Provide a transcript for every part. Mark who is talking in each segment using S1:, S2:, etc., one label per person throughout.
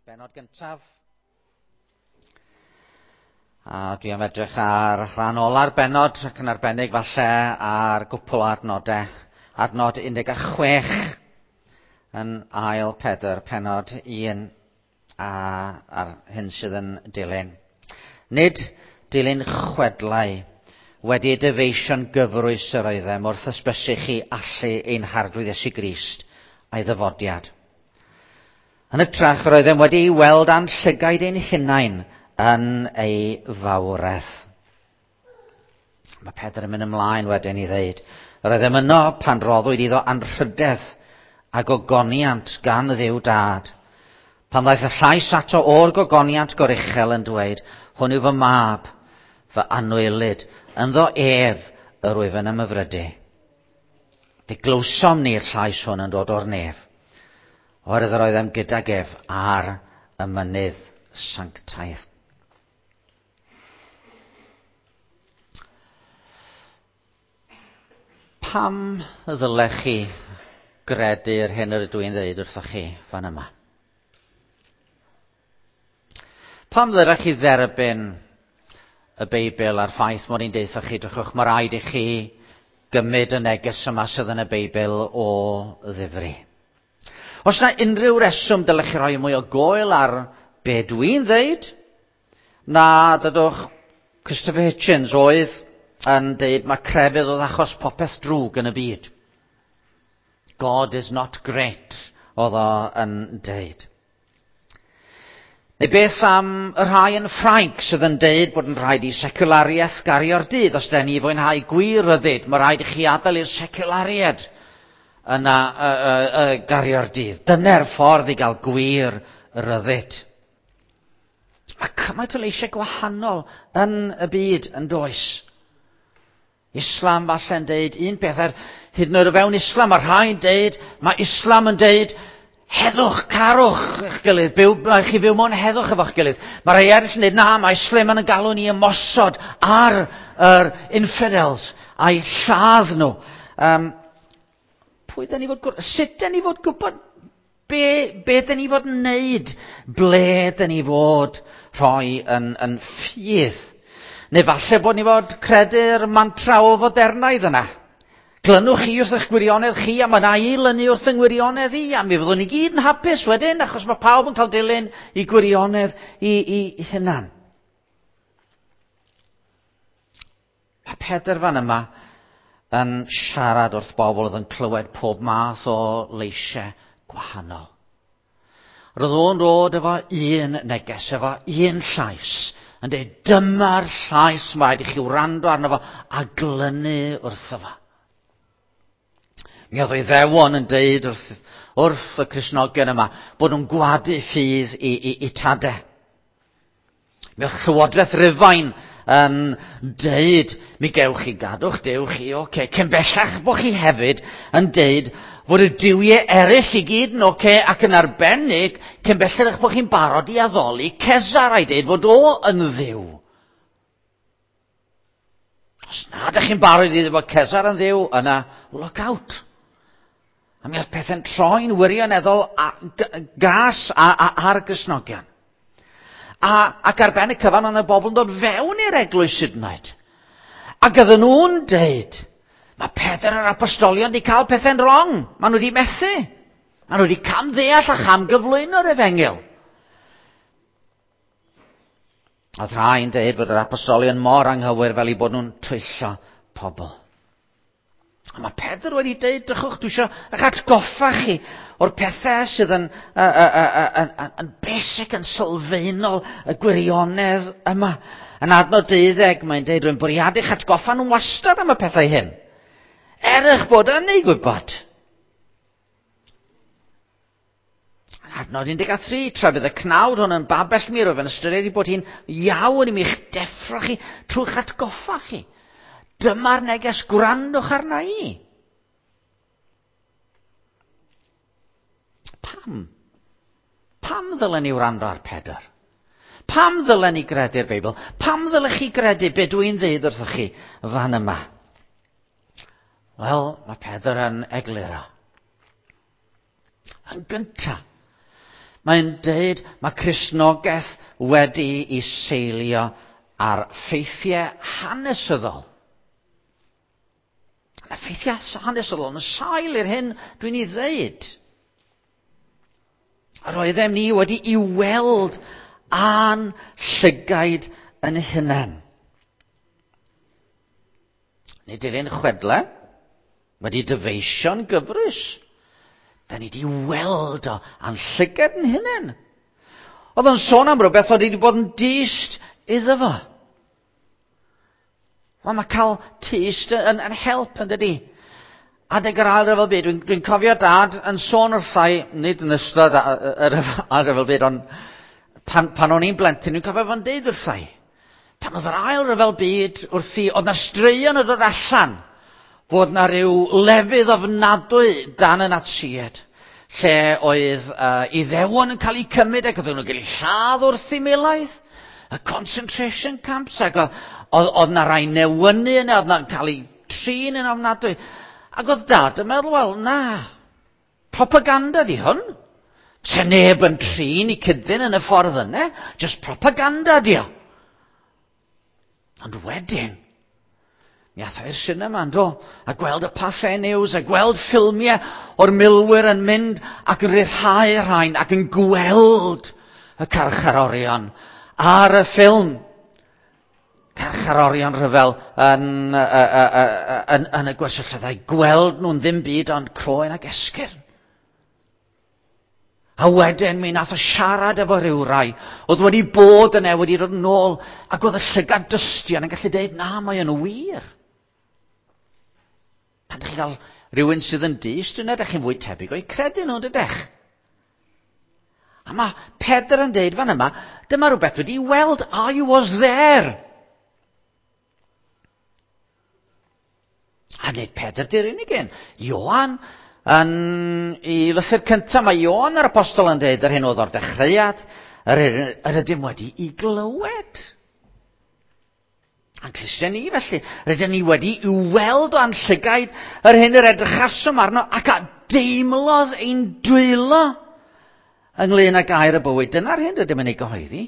S1: Benod gyntaf. A dwi am edrych ar rhan ola'r benod ac yn arbennig falle ar gwpl o adnodau. Adnod 16 yn ail Pedr, penod 1 a ar hyn sydd yn dilyn. Nid dilyn chwedlau wedi ei dyfeisio'n gyfrwys yr oeddem wrth ysbysu chi allu ein Harglwydd Iesu Grist a'i ddyfodiad. Yn hytrach, yr oeddem wedi ei weld â'n llygaid ein hunain yn ei fawredd. Mae Pedr yn mynd ymlaen wedyn i ddeud, yr oeddem yno pan roddwyd iddo anrhydedd a gogoniant gan Dduw Dad. Pan ddaeth y llais ato o'r gogoniant goruchel yn dweud, hwn yw fy mab, fy anwylyd, ynddo ef yr wyf yn ymhyfrydu. Fe glywsom ni'r llais hwn yn dod o'r nef, oherwydd yr oeddem gydag ef ar y mynydd sanctaidd. Pam y ddylech chi gredu'r hyn yr ydw i'n dweud wrthoch chi fan yma? Pam ddylech chi dderbyn y Beibl a'r ffaith mod i'n deutha chi, drychwch, mae rhaid i chi gymryd y neges yma sydd yn y Beibl o ddifri. Os na unrhyw reswm dylech chi roi mwy o goel ar be dwi'n ddeud, na dydwch Christopher Hitchens oedd yn deud mae crefydd oedd achos popeth drwg yn y byd. God is not great, oedd o yn deud. Neu beth am y rhai yn Ffrainc sydd yn deud bod yn rhaid i seculariaeth gario'r dydd? Os den ni fwynhau gwir ryddid, mae rhaid i chi adael i'r seculariaid yna gario'r dydd. Dyna'r ffordd i gael gwir ryddid. Mae cymaint o leisiau gwahanol yn y byd yn does. Islam falle'n deud un peth, er hyd yn oed o fewn Islam, mae rhai'n deud, mae Islam yn deud, heddwch, carwch eich gilydd, byw, mae chi fyw mewn heddwch efo'ch gilydd. Mae rhai eraill yn deud, na, mae Islam yn galw ni ymosod ar yr infidels a'i lladd nhw. Pwy dyn ni fod, sut dyn ni fod gwybod be, be dyn ni fod yn neud? Ble dyn ni fod rhoi yn, yn ffydd? Neu falle bod ni fod credu'r mantra o fodernaidd yna. Glynwch chi wrth eich gwirionedd chi, a mae yna i lynu wrth yng ngwirionedd i, a mi fyddwn ni gyd yn hapus wedyn, achos mae pawb yn cael dilyn i gwirionedd i, i hunan. Mae Pedr fan yma yn siarad wrth bobl oedd yn clywed pob math o leisiau gwahanol. Roedd o'n dod efo un neges, efo un llais, yn dweud, dyma'r llais mae rhaid i chi wrando arno fo a glynu wrtho fo. Mi oedd ei ddewon yn deud wrth, wrth y Cristnogion yma bod nhw'n gwadu ffydd i, i, i tade. Mi oedd Llywodraeth Rufain yn deud, mi gewch chi gadw'ch Duw chi, oce. Okay. Cyn bellach bod chi hefyd yn deud fod y duwiau eraill i gyd yn oce, okay, ac yn arbennig, cyn bellach eich bod chi'n barod i addoli Cesar a'i deud fod o yn ddiw. Os na ydych chi'n barod i ddeud bod Cesar yn ddiw, yna look out. A mi oedd pethau'n troi'n wirioneddol gas ar Gristnogion. A, ac ar ben y cyfan, oedd y bobl yn dod fewn i'r eglwys hyd yn oed. Ac oedden nhw'n deud, mae Pedr a'r apostolion wedi cael pethau'n wrong. Maen nhw wedi methu. Maen nhw wedi camddeall a chamgyflwyno'r efengyl. Oedd rhai'n deud bod yr apostolion mor anghywir fel eu bod nhw'n twyllo pobl. A mae Pedr wedi deud, drychwch, dwi eisiau eich atgoffa chi o'r pethau sydd yn, yn, yn, yn basic, yn sylfaenol y gwirionedd yma. Yn adnod 12, mae'n deud, rwy'n bwriadu eich atgoffa nhw'n wastad am y pethau hyn. Er eich bod yn ei gwybod. Adnod 13, tra bydd y cnawd hwn yn babell mi, rwyf yn ystyried ei bod hi'n iawn i mi'ch deffro chi trwy'ch atgoffa chi. Dyma'r neges, gwrandwch arna i. Pam? Pam ddylen ni wrando ar Pedr? Pam ddylen ni gredu'r Beibl? Pam ddylech chi gredu be dwi'n ddeud wrthoch chi fan yma? Wel, mae Pedr yn egluro. Yn gyntaf, Mae'n deud mae Cristnogaeth wedi i seilio ar ffeithiau hanesyddol. A ffeithiau hanesyddol yn sail i'r hyn dwi'n ei ddeud. A roeddem ni wedi i weld a'n llygaid yn hunain. Nid yw'r un chwedle wedi dyfeisio'n gyfrwys. Da ni wedi weld o a'n llygad yn hunain. Oedd o'n sôn am rhywbeth oedd wedi bod yn dyst iddo fo. Wel, mae cael tyst yn help, yn dydi? Adeg yr Ail Ryfel Byd, dwi'n cofio Dad yn sôn wrthai, nid yn ystod yr Ail Ryfel Byd, ond pan o'n i'n blentyn, dwi'n cofio fo'n deud wrthai. Pan oedd yr Ail Ryfel Byd wrthi, oedd na straeon yn dod allan fod na ryw lefydd ofnadwy dan y Natsiaid, lle oedd Iddewon yn cael eu cymryd ac oedden nhw'n cael eu lladd wrth eu miloedd, y concentration camps, ac oedd na rai newynu yna, oedd na'n cael eu trin yn ofnadwy. Ac oedd Dad yn meddwl, wel, na, propaganda di hwn. Se neb yn trin i cyddyn yn y ffordd yna, just propaganda di o. Ond wedyn, mi ath o i'r cinema, yndo, a gweld y Pathé News, a gweld ffilmiau o'r milwyr yn mynd ac yn rhyddhau rhain, ac yn gweld y carcharorion ar y ffilm. Carcharorion rhyfel yn y gwersylloedd, gweld nhw'n ddim byd ond croen ac esgyrn. A wedyn mi nath o siarad efo rhyw rai oedd wedi bod yna, wedi dod yn ôl, ac oedd y llygad dystion yn gallu dweud, na, mae yn wir. Pan ydych chi'n cael rhywun sydd yn dyst yna, ydych chi'n fwy tebyg o'i credu nhw, dydych? A mae Pedr yn deud fan yma, dyma rhywbeth wedi weld, I was there. A nid Pedr di'r unig un. Ioan, yn ei lythyr cyntaf, mae Ioan yr apostol yn dweud yr hyn oedd o'r dechreuad, yr ydym wedi i glywed. A'n clustiau ni felly, rydym ni wedi i weld o'n llygaid yr hyn yr edrychasom arno ac a deimlodd ein dwylo ynglyn â gair y bywyd. Dyna'r hyn rydym yn ei gyhoeddi.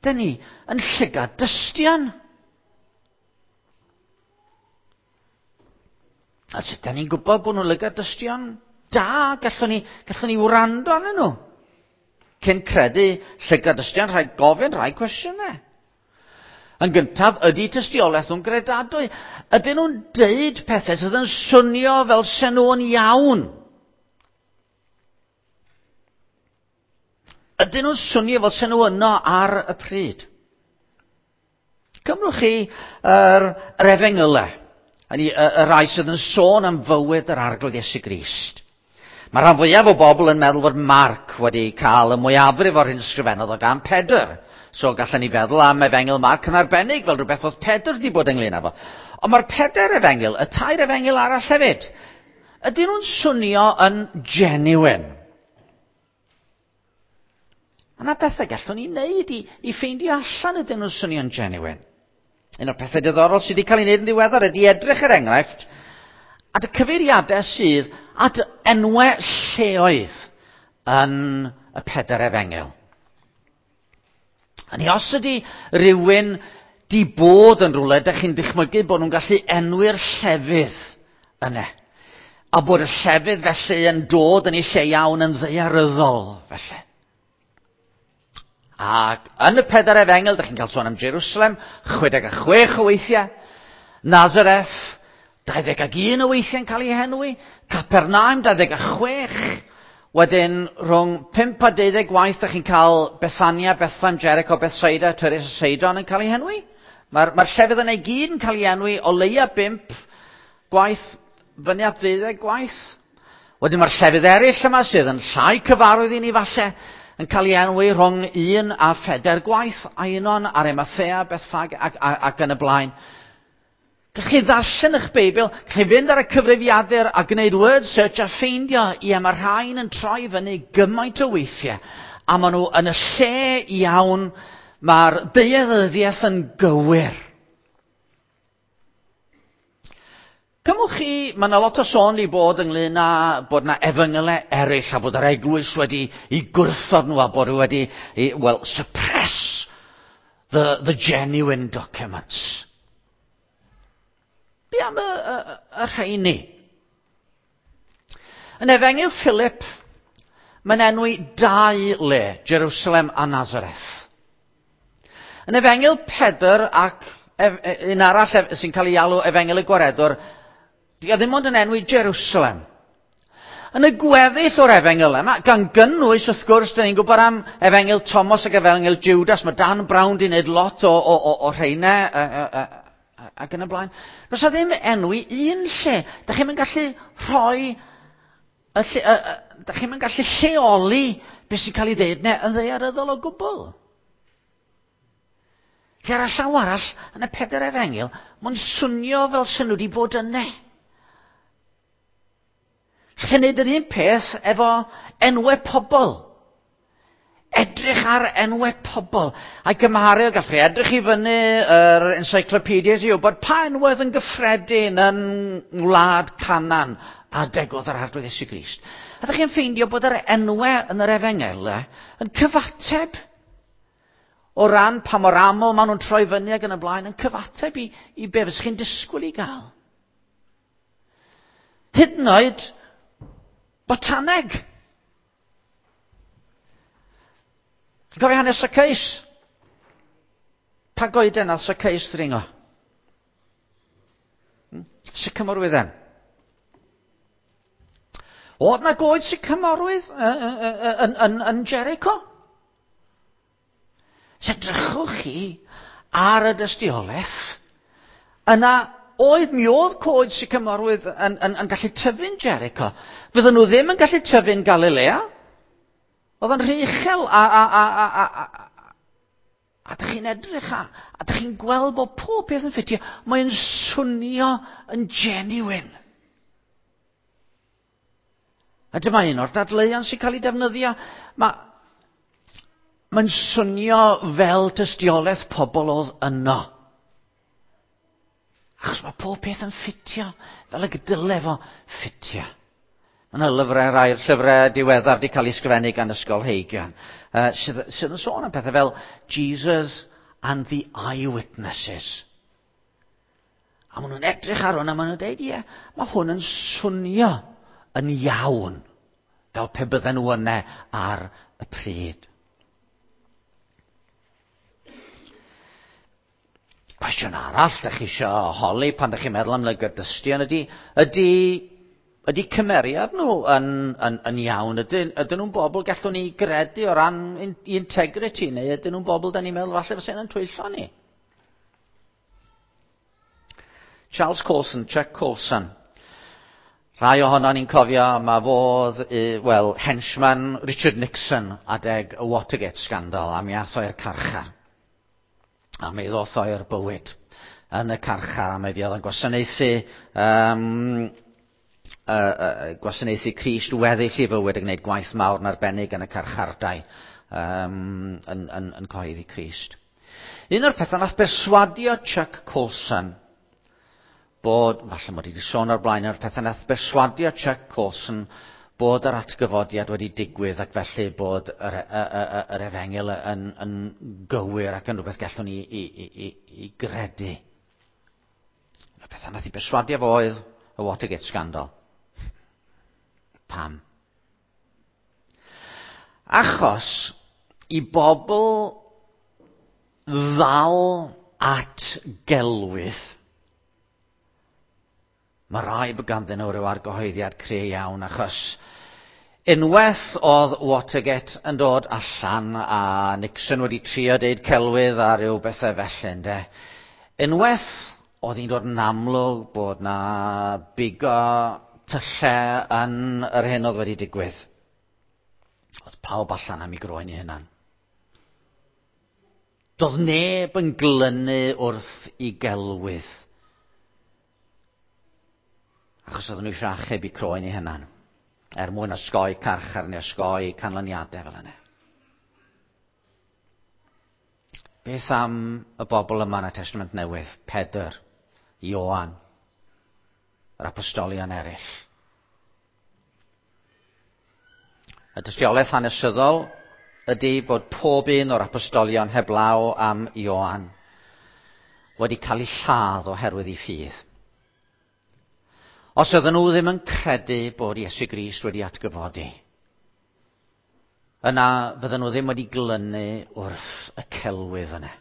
S1: Dyn ni yn llygad dystion. A sut da ni'n gwybod bod nhw'n lygad dystion da, gallwn ni wrando arnyn nhw. Cyn credu llygad dystion, rhaid gofyn rhai cwestiynau. Yn gyntaf, ydy tystiolaeth nhw'n gredadwy? Ydyn nhw'n deud pethau sydd yn swnio fel se nhw'n iawn? Ydyn nhw'n swnio fel se nhw yno ar y pryd? Cymrwch chi yr efengylau, y rai sydd yn sôn am fywyd yr Arglwydd Iesu Grist. Mae rhan fwyaf o bobl yn meddwl fod Marc wedi cael y mwyafrif o'r hyn ysgrifennodd o gan Pedr. So gallen ni feddwl am efengyl Marc yn arbennig fel rhywbeth oedd Pedr wedi bod ynglyn â fo. Ond mae'r pedair efengyl, y tair efengyl arall hefyd, ydyn nhw'n swnio yn genuine? Mae yna bethau gallwn ni wneud i ffeindio allan ydyn nhw'n swnio'n genuine. Un o'r pethau diddorol sydd wedi cael ei wneud yn ddiweddar ydy edrych er enghraifft at y cyfeiriadau sydd at enwau lleoedd yn y pedair efengyl. A ni os ydy rhywun di bod yn rhywle, dych chi'n dychmygu bod nhw'n gallu enwi'r llefydd yna. A bod y llefydd felly yn dod yn ei lle iawn yn ddaearyddol felly. Ac yn y pedair efengyl, dych chi'n cael sôn am Jerusalem, 66 o weithiau, Nazareth, 21 o weithiau'n cael ei henwi, Capernaum, 26, wedyn rhwng 5 a 12 gwaith, dych chi'n cael Bethania, Bethlehem, Jericho, Bethsaida, Tyrus a Seidon yn cael ei henwi. Mae'r llefydd yna i gyd yn cael ei enwi o leia 5 gwaith, fyny at 12 gwaith. Wedyn mae'r llefydd eraill yma sydd yn llai cyfarwydd i ni falle, yn cael ei enwi rhwng 1 a 4 gwaith, Ainon, Arimathea, Bethfage ac yn y blaen. Gallwch chi ddarllen eich Beibl, gallwch chi fynd ar y cyfrifiadur a gwneud word search a ffeindio, ie, mae rhain yn troi fyny gymaint o weithiau, a maen nhw yn y lle iawn, mae'r daearyddiaeth yn gywir. Cymwch chi, mae yna lot o sôn i bod ynglyn â bod yna efengylau eraill a bod yr eglwys wedi i gwrthod nhw a bod wedi, i, well, suppress the genuine documents. Be am y rheini? Yn Efengyl Philip, mae'n enwi dau le, Jerusalem a Nazareth. Yn Efengyl Pedr ac un arall sy'n cael ei alw Efengyl y Gwaredwr, di o ddim ond yn enwi Jerusalem. Yn y gweddill o'r efengyl yma, gan gynnwys, wrth gwrs, dyn ni'n gwybod am Efengyl Thomas ac Efengyl Judas, mae Dan Brown di wneud lot o rheina ac yn y blaen. Does 'na ddim enwi un lle. Da chi'n gallu rhoi, y lle, da chi'n gallu lleoli beth sy'n cael ei ddeud neu yn ddaearyddol o gwbl. Lle ar y llaw arall, yn y pedair efengyl, mae'n swnio fel sy'n nhw wedi bod yna. Chi'n neud yr un peth efo enwau pobl. Edrych ar enwau pobl. A gymharu, gallwch chi edrych i fyny yr encyclopedia i wybod pa enwau oedd yn gyffredin yn ngwlad Canan adeg oedd yr Arglwydd Iesu Grist. A ydych chi'n ffeindio bod yr enwau yn yr efengylau yn cyfateb o ran pa mor aml maen nhw'n troi fyny ac yn y blaen, yn cyfateb i be fysych chi'n disgwyl i gael. Hyd yn oed botaneg. Chi'n cofio hanes Zacchaeus? Pa goeden nath Zacchaeus ddringo? Sycamorwydden. Oedd na goed sycamorwydd yn Jericho? Se drychwch chi ar y dystiolaeth, yna oedd mi oedd coed sycamorwydd yn gallu tyfu'n Jericho. Fydden nhw ddim yn gallu tyfu'n Galilea. Oedd yn rhy uchel a dych chi'n edrych a dych chi'n gweld bod pob peth yn ffitio. Mae'n swnio yn genuine. A dyma un o'r dadleuon sy'n cael ei defnyddio. Mae'n swnio fel tystiolaeth pobl oedd yno. Achos mae pob peth yn ffitio fel y dyle fo ffitio. Mae yna lyfrau, rhai llyfrau diweddar wedi cael ei ysgrifennu gan ysgolheigion, sydd yn sôn am pethau fel Jesus and the Eyewitnesses. A maen nhw'n edrych ar hwn a maen nhw'n dweud, ie, mae hwn yn swnio yn iawn, fel pe bydden nhw yna ar y pryd. Cwestiwn arall ydych chi eisiau holi pan ydych chi'n meddwl am lygad-dystion ydy cymeriad nhw yn iawn? Ydyn nhw'n bobl gallwn ni gredu o ran integrity, neu ydyn nhw'n bobl da ni'n meddwl falle fysa nhw'n twyllo ni? Charles Colson, Chuck Colson. Rhai ohono ni'n cofio, mae fodd, well, henchman Richard Nixon adeg y Watergate scandal, a mi ath o i'r carchar. A mi ddoth o i'r bywyd yn y carchar, a mi fuodd yn gwasanaethu Crist weddill i fywyd yn gwneud gwaith mawr yn arbennig yn y carchardai yn cyhoeddi Crist. Un o'r pethau nath berswadio Chuck Colson bod, falle mod i wedi sôn o'r blaen, un o'r pethau nath berswadio Chuck Colson bod yr atgyfodiad wedi digwydd ac felly bod yr efengyl yn gywir ac yn rhywbeth gallwn ni i gredu. Y pethau nath i berswadio fo oedd y Watergate scandal. Pam? Achos i bobl ddal at gelwydd, mae rai bod ganddyn nhw ryw argyhoeddiad cry iawn, achos unwaith oedd Watergate yn dod allan a Nixon wedi trio deud celwydd a ryw bethau felly, ynde. Unwaith oedd hi'n dod yn amlwg bod na bigo tyllau yn yr hyn oedd wedi digwydd, oedd pawb allan am ei groen ei hunan. Doedd neb yn glynu wrth i gelwydd. Achos oedden nhw eisiau achub eu croen eu hunan, er mwyn osgoi carchar neu osgoi canlyniadau fel yna. Beth am y bobl yma yn y Testament Newydd? Pedr, Ioan. Yr apostolion eraill. Y dystiolaeth hanesyddol ydy bod pob un o'r apostolion heblaw am Ioan wedi cael ei lladd oherwydd ei ffydd. Os oedden nhw ddim yn credu bod Iesu Grist wedi atgyfodi, yna fydden nhw ddim wedi glynu wrth y celwydd yna.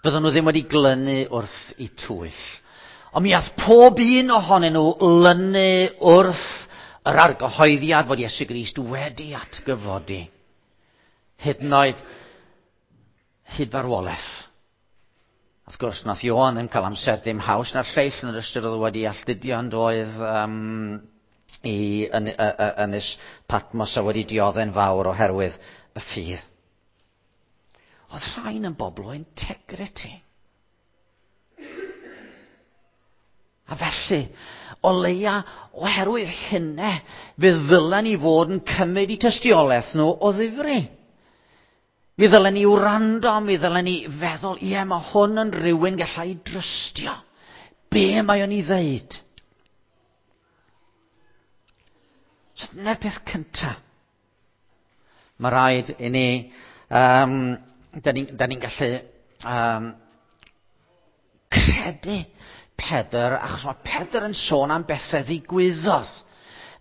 S1: Fydden nhw ddim wedi glynu wrth i twyll. Ond mi ath pob un ohonyn nhw lynu wrth yr argyhoeddiad fod Iesu Grist wedi atgyfodi. Hyd yn oed hyd farwolaeth. Wrth gwrs, nath Ioan ddim cael amser dim haws na'r lleill yn yr ystyr oedd wedi alltudio yn doedd i ynys Patmos a wedi diodde'n fawr oherwydd y ffydd. Oedd rhain yn bobl o integrity. A felly, o leia, oherwydd hynne, fe ddylen ni fod yn cymryd i tystiolaeth nhw o ddifri. Mi ddylen ni wrando, mi ddylen ni feddwl, ie, mae hwn yn rhywun gallai drystio. Be mae o'n ei ddeud? So dyna'r peth cyntaf. Mae rhaid i ni, da ni'n ni gallu credu Pedr, achos mae Pedr yn sôn am bethau ddigwyddodd.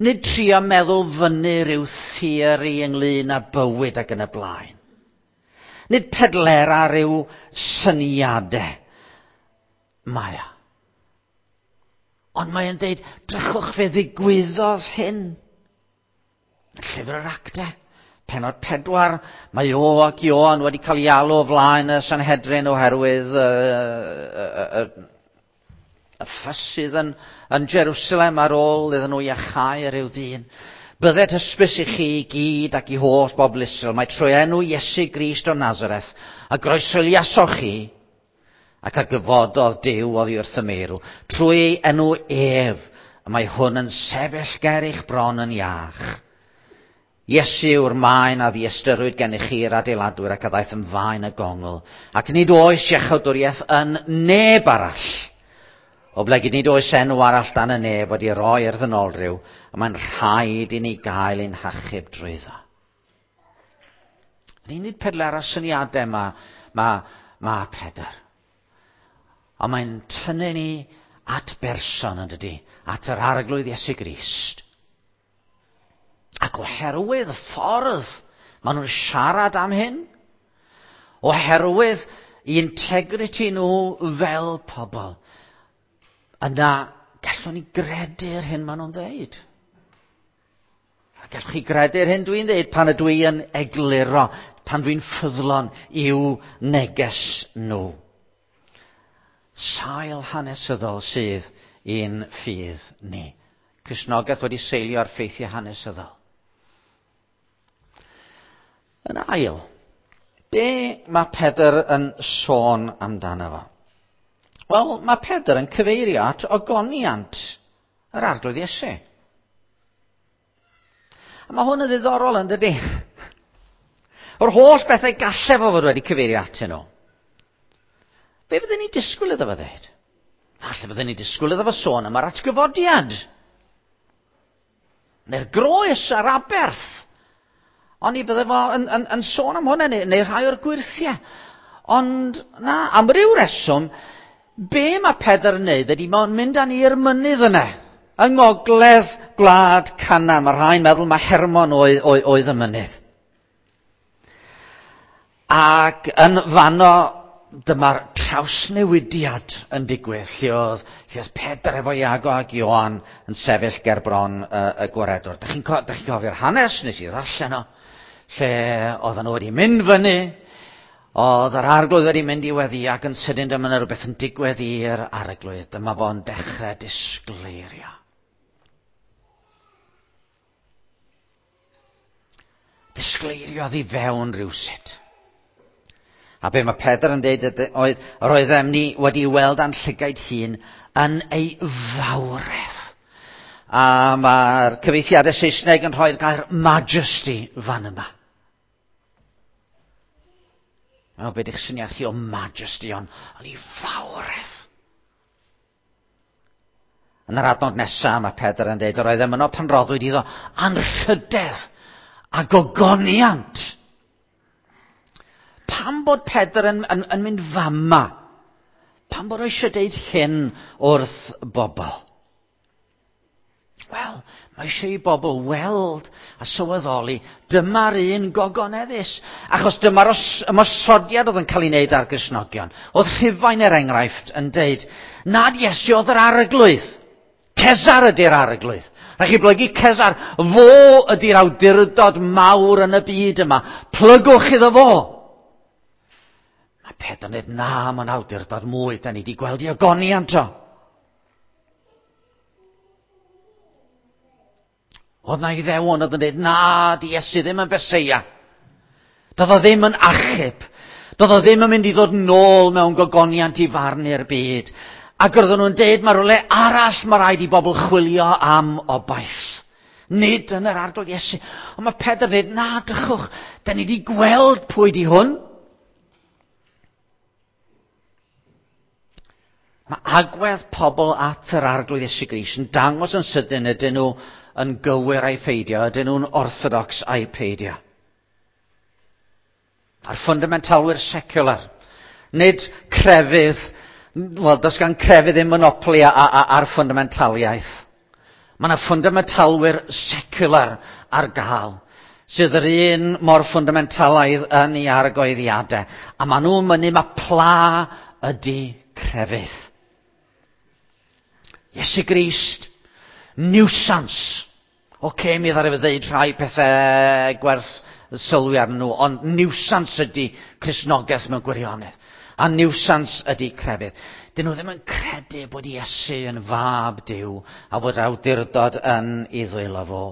S1: Nid trio meddwl fyny rhyw theori ynglyn â bywyd ac yn y blaen. Nid pedlera rhyw syniadau. Mae o. Ond mae'n dweud, drychwch fe ddigwyddodd hyn. Llyfr yr Actau, penod 4, mae o ac Ioan wedi cael ei alw o flaen y Sanhedrin oherwydd y ffys sydd yn Jerusalem ar ôl iddyn nhw iachau rhyw ddyn. Bydded hysbys i chi i gyd ac i holl bobl Israel, mae trwy enw Iesu Grist o Nazareth, a groeshoeliasoch chi, ac a gyfododd Duw oddi wrth y meirw, trwy ei enw ef, y mae hwn yn sefyll ger eich bron yn iach. Iesu yw'r maen a ddiystyrwyd gennych chi'r adeiladwyr ac a ddaeth yn faen y gongl, ac nid oes iachawdwriaeth yn neb arall. Oblegid nid oes enw arall dan y nef wedi roi i'r ddynolryw, a mae'n rhaid i ni gael ein hachub drwyddo. Nid pedlera syniadau mae Pedr. Ond mae'n tynnu ni at berson yn dydy, at yr Arglwydd Iesu Grist. Ac oherwydd y ffordd maen nhw'n siarad am hyn, oherwydd integrity nhw fel pobl, yna gallwn ni gredu'r hyn maen nhw'n dweud. A gallwch chi gredu'r hyn dwi'n dweud pan ydw i yn egluro, pan dwi'n ffyddlon i'w neges nhw. Sail hanesyddol sydd i'n ffydd ni. Cristnogaeth wedi seilio ar ffeithiau hanesyddol. Yn ail, be mae Pedr yn sôn amdano fo? Wel, mae Pedr yn cyfeirio at ogoniant yr Arglwydd Iesu. A mae hwn yn ddiddorol yn dydy. Yr holl bethau gallai fo fod wedi cyfeirio atyn nhw. Be fydden ni disgwyl iddo fo ddeud? Falle fydden ni disgwyl iddo fo sôn am yr atgyfodiad. Neu'r groes a'r aberth. Ond i bydde fo yn sôn am hwnna, neu rhai o'r gwyrthiau. Ond na, am ryw reswm, be mae Pedr yn neud ydy mae'n mynd â ni i'r mynydd yna. Yng ngogledd gwlad Canaan. Mae rhai'n meddwl mae Hermon oedd y mynydd. Ac yn fanno, dyma'r trawsnewidiad yn digwydd, lle oedd Pedr efo Iago ac Ioan yn sefyll ger bron y gwaredwr. Dych chi'n cofio'r hanes, nes i ddarllen o, lle oedden nhw wedi mynd fyny, oedd yr Arglwydd wedi mynd i weddi ac yn sydyn dyma yna rhywbeth yn digwydd i'r Arglwydd. Dyma fo'n dechrau disgleirio. Disgleiriodd i fewn rhywsut. A be mae Pedr yn dweud oedd, yr oeddem ni wedi weld a'n llygaid hun yn ei fawredd. A mae'r cyfieithiadau Saesneg yn rhoi'r gair majesty fan yma. O, be di'ch syniad chi o majesty, ond ei fawredd. Yn yr adnod nesaf mae Pedr yn dweud, yr oedd yno pan roddwyd iddo anrhydedd a gogoniant. Pam bod Pedr yn mynd fama? Pam bod o eisiau deud hyn wrth bobl? Wel, mae eisiau i bobl weld a sylweddoli dyma'r un gogoneddus. Achos dyma'r ymosodiad oedd yn cael ei wneud ar Gristnogion. Oedd Rhufain, er enghraifft, yn deud nad Iesu oedd yr arglwydd. Cesar ydy'r arglwydd. Rhaid chi blygu Cesar. Fo ydy'r awdurdod mawr yn y byd yma. Plygwch iddo fo. Mae Pedr yn dweud, na, mae'n awdurdod mwy. Da ni wedi gweld i ogoniant o. Oedd na Iddewon oedd yn dweud, na, di Iesu ddim yn Feseia. Doedd o ddim yn achub. Doedd o ddim yn mynd i ddod nôl mewn gogoniant i farnu'r byd. Ac roedden nhw'n dweud, mae rhywle arall mae rhaid i bobl chwilio am obaith. Nid yn yr arglwydd Iesu. Ond mae Pedr yn dweud, na, drychwch, da ni wedi gweld pwy di hwn. Mae agwedd pobl at yr arglwydd Iesu Grist yn dangos yn sydyn ydyn nhw yn gywir a'i pheidio, ydyn nhw'n orthodox a'i peidio. A'r fundamentalwyr secular, nid crefydd, wel, does gan crefydd ddim monopoli ar fundamentaliaeth. Mae yna fundamentalwyr secular ar gael, sydd yr un mor fundamentalaidd yn ei argoeddiadau. A maen nhw'n mynnu mae pla ydy crefydd. Iesu Grist, nuisance. Oce, mi ddaru fe ddeud rhai pethau gwerth sylwi arnyn nhw, ond nuisance ydy Cristnogaeth mewn gwirionedd. A nuisance ydy crefydd. Dyn nhw ddim yn credu bod Iesu yn fab Duw a bod awdurdod yn ei ddwylo fo.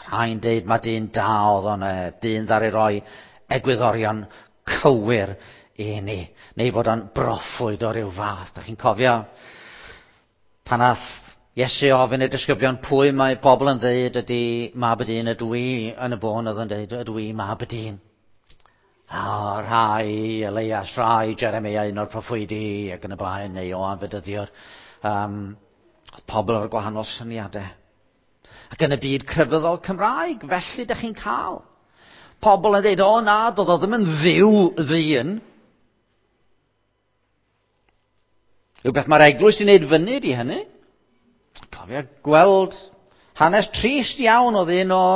S1: Rhai'n deud mae dyn da oedd o'n, dyn ddaru roi egwyddorion cywir i ni, neu fod o'n broffwyd o ryw fath. Da chi'n cofio pan ath Iesu ofyn i'r disgyblion pwy mae bobl yn dweud ydy mab y dyn, ydw i yn y bôn oedd yn dweud ydw i mab y dyn. A rhai Elias, rhai Jeremia, un o'r proffwydi ac yn y blaen, neu Ioan Fedyddiwr. Pobl o'r gwahanol syniadau. Ac yn y byd crefyddol Cymraeg, felly ydych chi'n cael pobl yn dweud, o na, doedd o ddim yn ddiw ddyn. Rhywbeth mae'r eglwys wedi wneud fyny di hynny. Cofio gweld hanes trist iawn oedd un o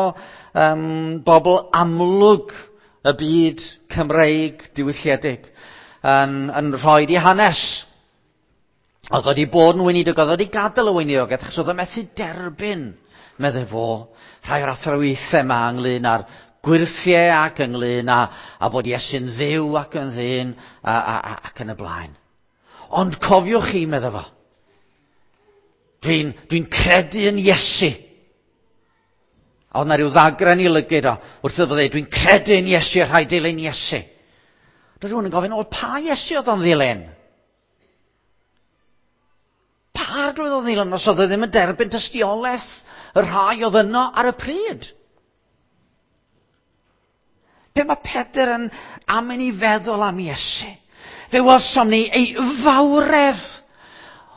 S1: bobl amlwg y byd Cymreig diwylliedig yn rhoi di hanes. Oedd wedi bod yn weinidog, oedd wedi gadael y weinidogaeth, achos oedd o methu derbyn, meddai fo, rhai o'r athrawiaethau yma ynglyn â'r gwyrthiau ac ynglyn â bod Iesu'n ddiw ac yn ddyn ac yn y blaen. Ond cofiwch chi, meddai fo, dwi'n credu yn Iesu. A oedd na rhyw ddagren i lygyd o, wrth iddo ddeud, dwi'n credu yn Iesu a rhaid dilyn Iesu. Doedd rhywun yn gofyn, o, pa Iesu oedd o'n ddilyn? Pa arglwydd oedd o'n ddilyn os oedd e ddim yn derbyn tystiolaeth y rhai oedd yno ar y pryd? Be mae Pedr yn am i ni feddwl am Iesu? Fe welsom ni ei fawredd.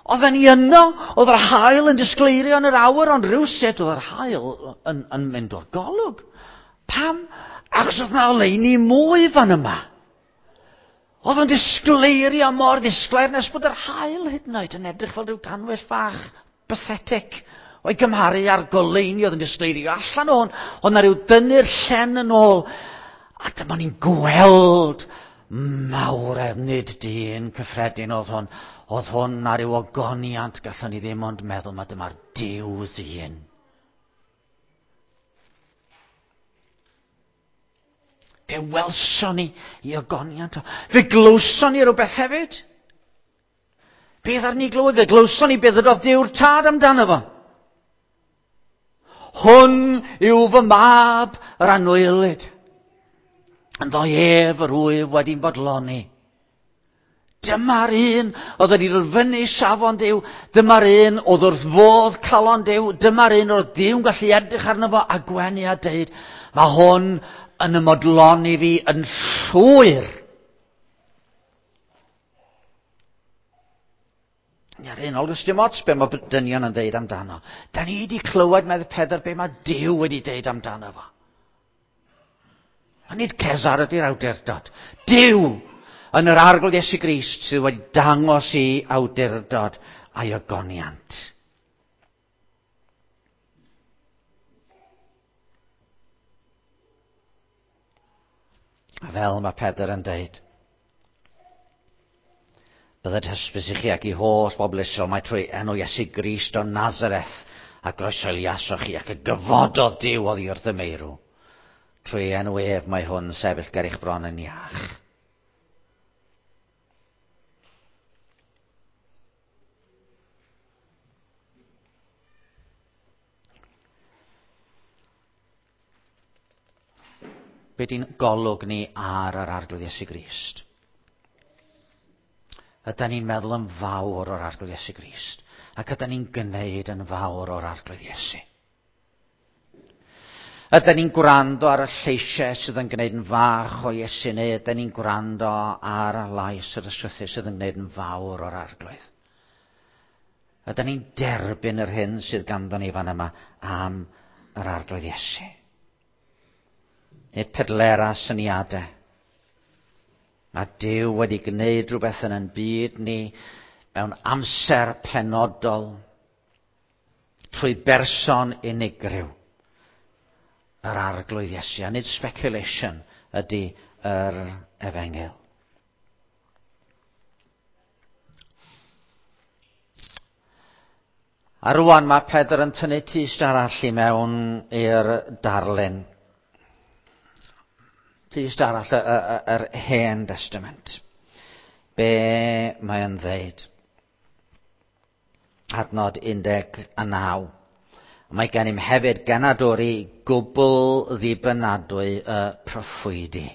S1: Oedden ni yno, oedd yr haul yn disgleirio yn yr awyr, ond rhywsut oedd yr haul yn mynd o'r golwg. Pam? Achos oedd na oleuni mwy fan yma. Oedd o'n disgleirio mor ddisglair nes bod yr haul hyd yn oed yn edrych fel rhyw ganwyll fach pathetic o'i gymharu â'r goleuni oedd yn disgleirio allan o hwn. Oedd na rhyw dynnu'r llen yn ôl. A dyma ni'n gweld mawredd, nid dyn cyffredin oedd hwn. Oedd hwn ar ryw ogoniant, gallwn ni ddim ond meddwl mae dyma'r Duw ddyn. Fe welson ni i ogoniant o. Fe glywson ni rhywbeth hefyd. Beth ar ni glywed? Fe glywson ni beth ydodd Duw'r Tad amdano fo. Hwn yw fy mab yr anwylyd. Ynddo ef yr wyf wedi'n bodloni. Dyma'r un oedd wedi dod fyny safon Duw. Dyma'r un oedd wrth fodd calon Duw. Dyma'r un oedd Duw'n gallu edrych arno fo a gwenu a deud, mae hwn yn ymodloni fi yn llwyr. Ar hyn, olwys dim ots be mae dynion yn deud amdano. Da ni wedi clywed, medd Pedr, be mae Duw wedi deud amdano fo. A nid Cesar ydy'r awdurdod. Duw yn yr Arglwydd Iesu Grist sydd wedi dangos i awdurdod a'i ogoniant. A fel mae Pedr yn deud, bydded hysbys i chi ac i holl bobl Israel mai trwy enw Iesu Grist o Nazareth a groeshoeliasoch chi ac y gyfododd Duw oddi wrth y meirw. Trwy enw ef mae hwn sefyll ger eich bron yn iach. Be di'n golwg ni ar yr Arglwydd Iesu Grist? Ydy ni'n meddwl yn fawr o'r Arglwydd Iesu Grist? Ac ydy ni'n gwneud yn fawr o'r Arglwydd Iesu? Ydy ni'n gwrando ar y lleisiau sydd yn gwneud yn fach o Iesu, neu ydy ni'n gwrando ar lais yr Ysgrythur sydd yn gwneud yn fawr o'r Arglwydd? Ydy ni'n derbyn yr hyn sydd ganddo ni fan yma am yr Arglwydd Iesu? Nid pedlera syniadau. Mae Duw wedi gwneud rhywbeth yn ein byd ni mewn amser penodol trwy berson unigryw, yr Arglwydd Iesu. A nid speculation ydy yr efengyl. A rwan mae Pedr yn tynnu tyst arall i mewn i'r darlun. Tyst arall yr Hen Testament. Be mae yn ddeud? Adnod 19. Mae gennym hefyd genadwri gwbl ddibynadwy y proffwydi.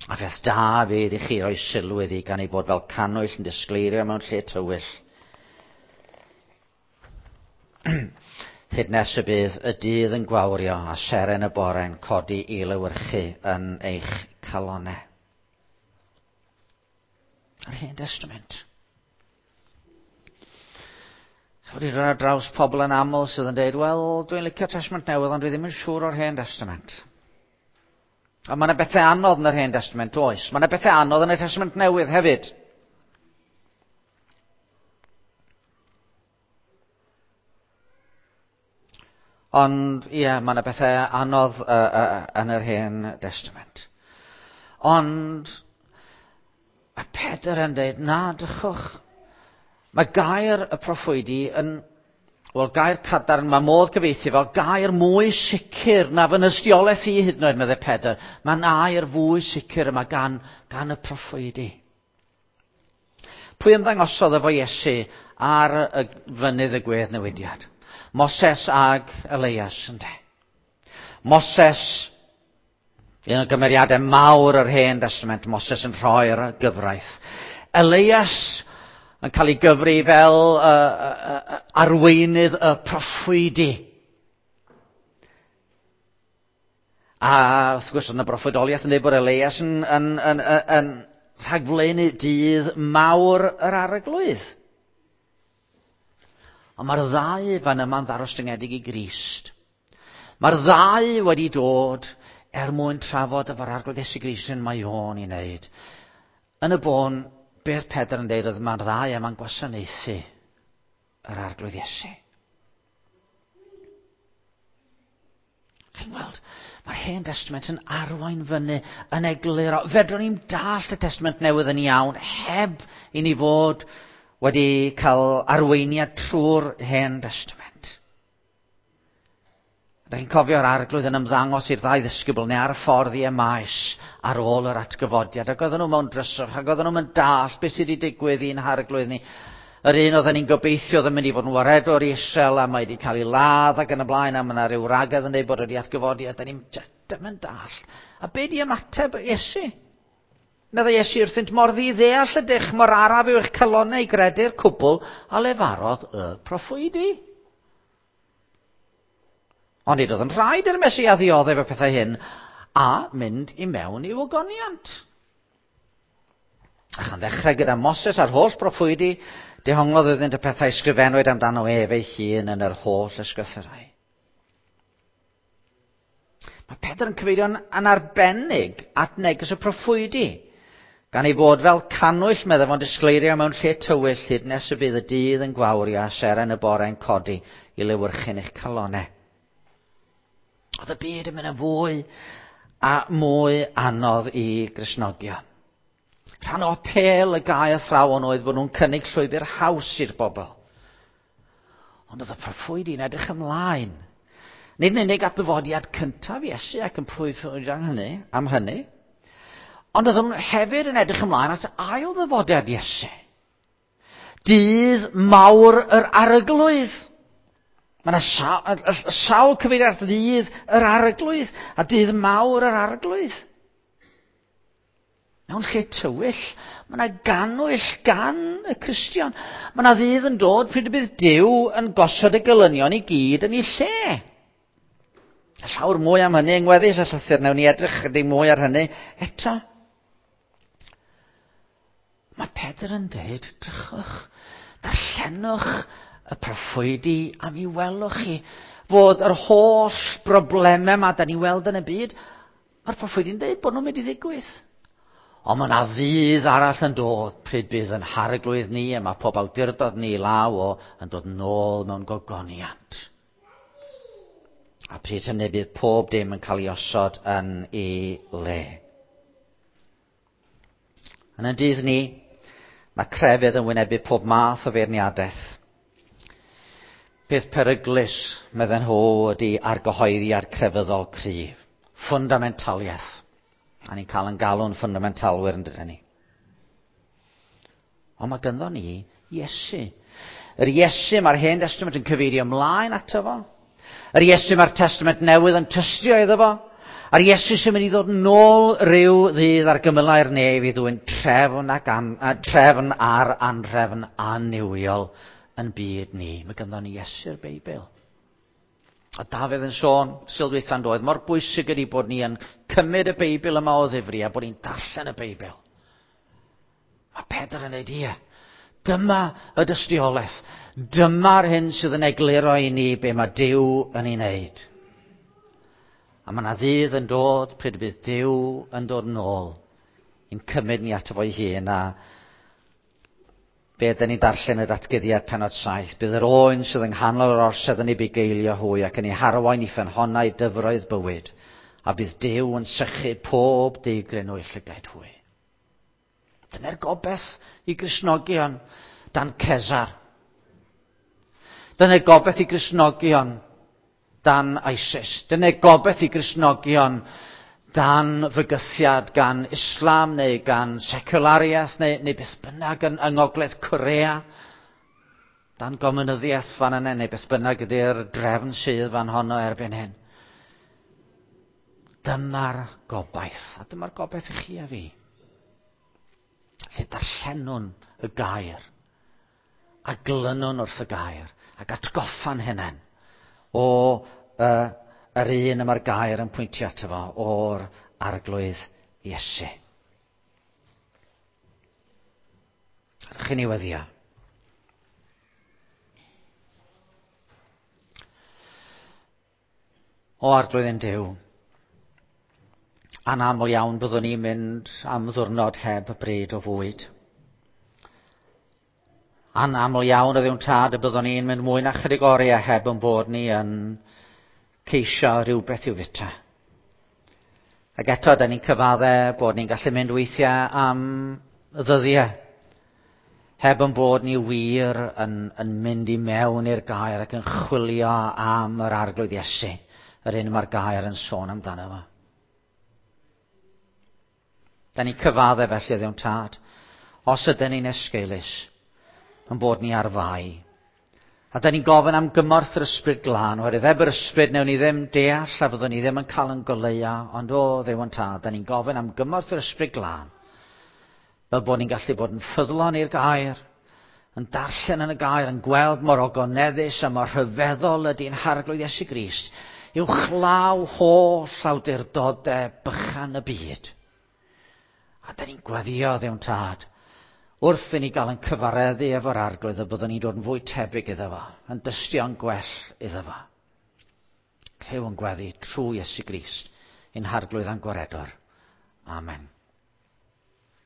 S1: A pheth da fydd i chi roi sylw iddi gan ei bod fel cannwyll yn disgleirio mewn lle tywyll. Hyd nes y bydd y dydd yn gwawrio a seren y bore'n codi i lewyrchu yn eich calonau. Yr Hen Testament. Wedi dod ar draws pobl yn aml sydd yn dweud, wel, dwi'n licio Testament Newydd, ond dwi ddim yn siŵr o'r Hen Testament. A mae yna bethau anodd yn yr Hen Testament, oes. Mae yna bethau anodd yn y Testament Newydd hefyd. Ond, ie, mae yna bethau anodd yn yr Hen Testament. Ond, mae Pedr yn dweud, na, drychwch. Mae gair y proffwydi yn, wel, gair cadarn, mae modd cyfieithu fel gair mwy sicr na fy nystiolaeth i hyd yn oed, meddai Pedr. Mae'n air fwy sicr yma gan y proffwydi. Pwy ymddangosodd efo Iesu ar y fynydd y gwedd newidiad? Moses ag Elias, ynde? Moses, un o gymeriadau mawr yr Hen Testament, Moses yn rhoi'r gyfraith. Elias yn cael ei gyfri fel arweinydd y proffwydi. A wrth gwrs, oedd yna broffwydoliaeth yn dweud bod Elias yn rhagflaenu dydd mawr yr Arglwydd. Ond mae'r ddau fan yma'n ddarostyngedig i Grist. Mae'r ddau wedi dod er mwyn trafod efo'r Arglwydd Iesu Grist yn mae o'n i wneud. Yn y bôn, beth Pedr yn dweud oedd mae'r ddau yma'n gwasanaethu yr Arglwydd Iesu. Chi'n gweld, mae'r Hen Testament yn arwain fyny yn egluro. Fedrwn ni'n dallt y Testament Newydd yn iawn heb i ni fod wedi cael arweiniad trwy'r Hen Testament. Da chi'n cofio'r Arglwydd yn ymddangos i'r ddau ddisgybl neu ar y ffordd i Emaus ar ôl yr atgyfodiad. Ac oedden nhw mewn dryswch, ac oedden nhw'n dallt beth sydd wedi digwydd i'n Harglwydd ni. Yr un oedden ni'n gobeithio oedd yn mynd i fod yn waredwr i Israel a mae wedi cael ei ladd ac yn y blaen, a mae yna rhyw ragedd yn dweud bod wedi atgyfodi, a da ni'n ddim yn dallt. A be di ymateb Iesu? Meddai Iesu wrthynt, mor ddiddeall ydych, mor araf yw eich calonnau i gredu'r cwbl a lefarodd y proffwydi. Ond nid oedd yn rhaid i'r Mesia ddioddef y pethau hyn a mynd i mewn i'w ogoniant. A chan ddechrau gyda Moses a'r holl broffwydi, dehonglodd iddynt y pethau sgrifennwyd amdano ef ei hun yn yr holl ysgrythurau. Mae Pedr yn cyfeirio'n anarbennig at neges y proffwydi, gan ei fod fel cannwyll meddai fo'n disgleirio mewn lle tywyll hyd nes y bydd y dydd yn gwawrio a seren y bore'n codi i lewyrchu'n eich calonau. Oedd y byd yn mynd yn fwy a mwy anodd i Gristnogion. Rhan o apêl y gau athrawon oedd bod nhw'n cynnig llwybr haws i'r bobl. Ond oedd y proffwydi'n edrych ymlaen. Nid yn unig at ddyfodiad cyntaf Iesu ac yn proffwydo am hynny, ond oedd nhw hefyd yn edrych ymlaen at ail ddyfodiad Iesu. Dydd mawr yr Arglwydd. Mae yna sawl cyfeiriad at ddydd yr Arglwydd a dydd mawr yr Arglwydd. Mewn lle tywyll, mae yna gannwyll gan y Cristion. Mae yna ddydd yn dod pryd y bydd Duw yn gosod y gelynion i gyd yn ei lle. A llawr mwy am hynny yng ngweddill y llythyr, newn ni edrych chydig mwy ar hynny eto. Mae Pedr yn dweud, drychwch, darllenwch y proffwydi a mi welwch chi fod yr holl broblemau yma da ni weld yn y byd, mae'r proffwydi'n dweud bod nhw'n mynd i ddigwydd. Ond mae yna ddydd arall yn dod pryd bydd yn harglwydd ni a mae pob awdurdod ni law o yn dod nôl mewn gogoniant. A pryd hynny bydd pob dim yn cael ei osod yn ei le. Yn y dydd ni, mae crefydd yn wynebu pob math o feirniadaeth. Peth peryglus, medden nhw, ydy argyhoeddiad crefyddol cryf. Fundamentaliaeth. A ni'n cael yn galw'n fundamentalwyr yn dydyn ni. Ond mae ganddo ni Iesu. Yr Iesu mae'r Hen Testament yn cyfeirio ymlaen ato fo. Yr Iesu mae'r Testament Newydd yn tystio iddo fo. A'r Iesu sy'n mynd i ddod nôl rhyw ddydd ar gymylau'r nef i ddwyn trefn, ac an, trefn ar anrefn annuwiol yn byd ni. Mae ganddo ni Iesu'r Beibl. A Dafydd yn sôn, Sul dwytha'n doedd, mor bwysig ydy bod ni yn cymryd y Beibl yma o ddifri a bod ni'n darllen y Beibl. Mae Pedr yn dweud, ie, dyma y dystiolaeth. Dyma'r hyn sydd yn egluro i ni be mae Duw yn ei wneud. A mae yna ddydd yn dod pryd bydd Duw yn dod nôl i'n cymryd ni ato fo'i hun a be dyn ni'n darllen y datguddiad pennod 7. Bydd yr oen sydd yng nghanol yr orsedd yn ei bugeilio hwy ac yn ei harwain i ffynhonnau dyfroedd bywyd, a bydd Duw yn sychu pob deigryn o'i llygaid hwy. Dyna'r gobaith i Gristnogion dan Cesar. Dyna'r gobaith i Gristnogion dan ISIS. Dyna'r gobaith i Gristnogion dan fygythiad gan Islam neu gan seculariaeth neu, neu beth bynnag yn, yng Ngogledd Corea, dan gomunyddiaeth fan yna neu beth bynnag ydy'r drefn sydd fan honno erbyn hyn. Dyma'r gobaith, a dyma'r gobaith i chi a fi. Lle darllenwn y gair, a glynwn wrth y gair, ac atgoffa'n hunain o yr un y mae'r gair yn pwyntio ato fo, o'r Arglwydd Iesu. Rydych chi'n ei weddio. O Arglwydd ein Duw, anaml iawn byddwn ni'n mynd am ddiwrnod heb bryd o fwyd. Anaml iawn o Dduw'n Tad y byddwn ni'n mynd mwy na chydig oriau heb yn bod ni yn ceisio rhywbeth i'w fita. Ac eto, da ni'n cyfadde bod ni'n gallu mynd weithiau am ddyddiau heb yn bod ni wir yn, yn mynd i mewn i'r gair ac yn chwilio am yr Arglwydd Iesu, yr un mae'r gair yn sôn amdano fo. Da ni'n cyfadde felly Dduw'n Tad, os ydyn ni'n esgeulus, yn bod ni ar fai. A da ni'n gofyn am gymorth yr Ysbryd Glân, oherwydd heb yr Ysbryd newn ni ddim deall a fyddwn ni ddim yn cael yn goleuo, ond o Dduw yn Tad, da ni'n gofyn am gymorth yr Ysbryd Glân, fel bod ni'n gallu bod yn ffyddlon i'r gair, yn darllen yn y gair, yn gweld mor ogoneddus a mor rhyfeddol ydy'n Harglwydd Iesu Grist, uwchlaw holl awdurdodau bychan y byd. A da ni'n gweddio, Dduw'n Tad, Wrth i ni gael yn cyfareddu efo'r arglwydd y byddwn ni'n dod yn fwy tebyg iddo fo, yn dystio'n gwell iddo fo. Clyw yn gweddi trwy Iesu Grist, ein harglwydd a'n gwaredwr. Amen.